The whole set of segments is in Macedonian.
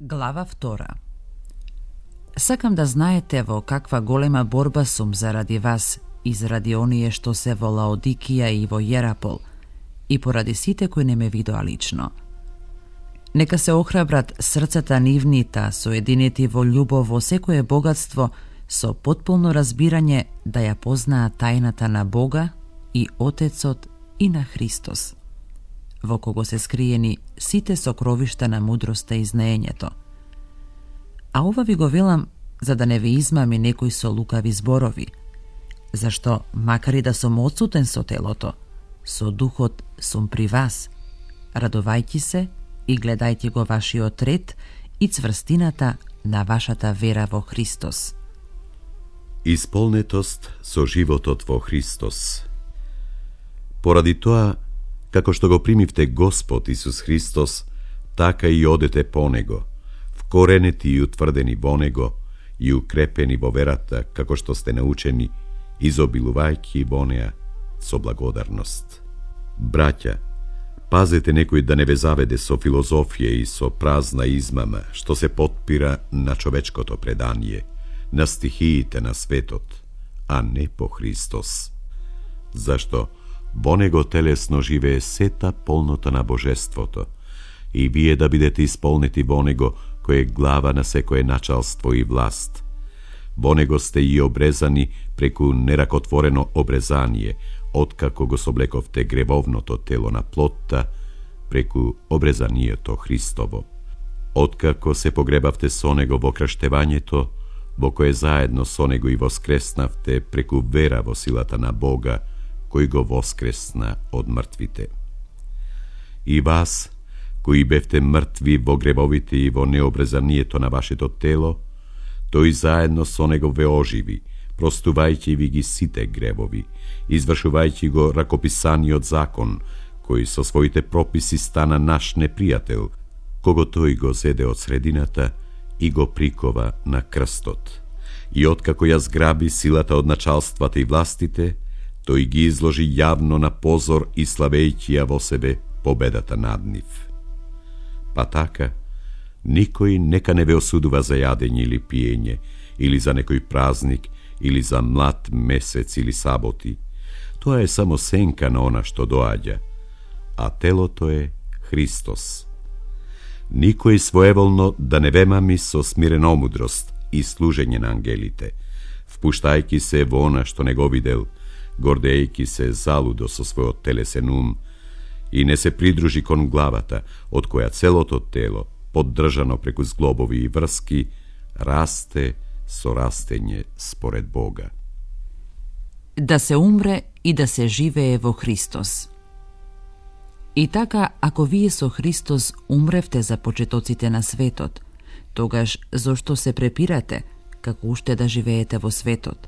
Глава 2. Сакам да знаете во каква голема борба сум заради вас и заради оние што се во Лаодикија и во Јерапол и поради сите кои не ме видоа лично. Нека се охрабрат срцата нивни, та соединети во љубов во секое богатство, со потполно разбирање да ја познаат тајната на Бога и Отецот и на Христос, во кого се скриени сите сокровишта на мудроста и знаењето. А ова ви го велам за да не ви измами некој со лукави зборови, зашто, макар и да сум отсутен со телото, со духот сум при вас, радувајќи се и гледајте го вашиот ред и цврстината на вашата вера во Христос. Исполнетост со животот во Христос. Поради тоа, како што го примивте Господ Исус Христос, така и одете по Него, вкоренети и утврдени во Него и укрепени во верата, како што сте научени, изобилувајќи во неа со благодарност. Браќа, пазете некој да не ве заведе со филозофија и со празна измама, што се потпира на човечкото предание, на стихиите на светот, а не по Христос. Зашто во Него телесно живее сета полнота на Божеството, и вие да бидете исполнети во Него, кој е глава на секое началство и власт. Во Него сте и обрезани преку неракотворено обрезание, откако го соблековте гревовното тело на плотта, преку обрезанието Христово. Откако се погребавте со Него во крштевањето, во кое заедно со Него и воскреснавте преку вера во силата на Бога, кој го воскресна од мртвите. И вас, кои бевте мртви во гревовите и во необрезанието на вашето тело, тој заедно со Него ве оживи, простувајќи ви ги сите гревови, извршувајќи го ракописаниот закон, кој со своите прописи стана наш непријател, кого тој го зеде од средината и го прикова на крстот. И откако ја зграби силата од началствата и властите, тој ги изложи јавно на позор и славејќи ја во себе победата над нив. Па така, никој нека не ве осудува за јадење или пиење, или за некој празник, или за млад месец или саботи. Тоа е само сенка на она што доаѓа, а телото е Христос. Никој своеволно да не ве мами со смирена омудрост и служење на ангелите, впуштајќи се во она што не го видел, гордејќи се залудо со својот телесен ум, и не се придружи кон главата, од која целото тело, поддржано преку зглобови и врски, расте со растење според Бога. Да се умре и да се живее во Христос. И така, ако вие со Христос умревте за почетоците на светот, тогаш зошто се препирате, како уште да живеете во светот?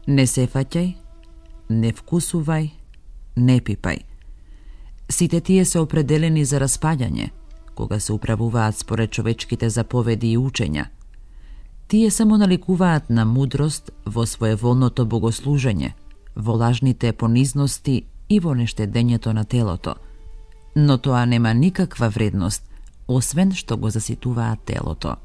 Не се фаќај, не вкусувај, не пипај. Сите тие се определени за распаѓање, кога се управуваат според човечките заповеди и учења. Тие само наликуваат на мудрост во своеволното богослужење, во лажните понизности и во нештедењето на телото. Но тоа нема никаква вредност, освен што го заситуваат телото.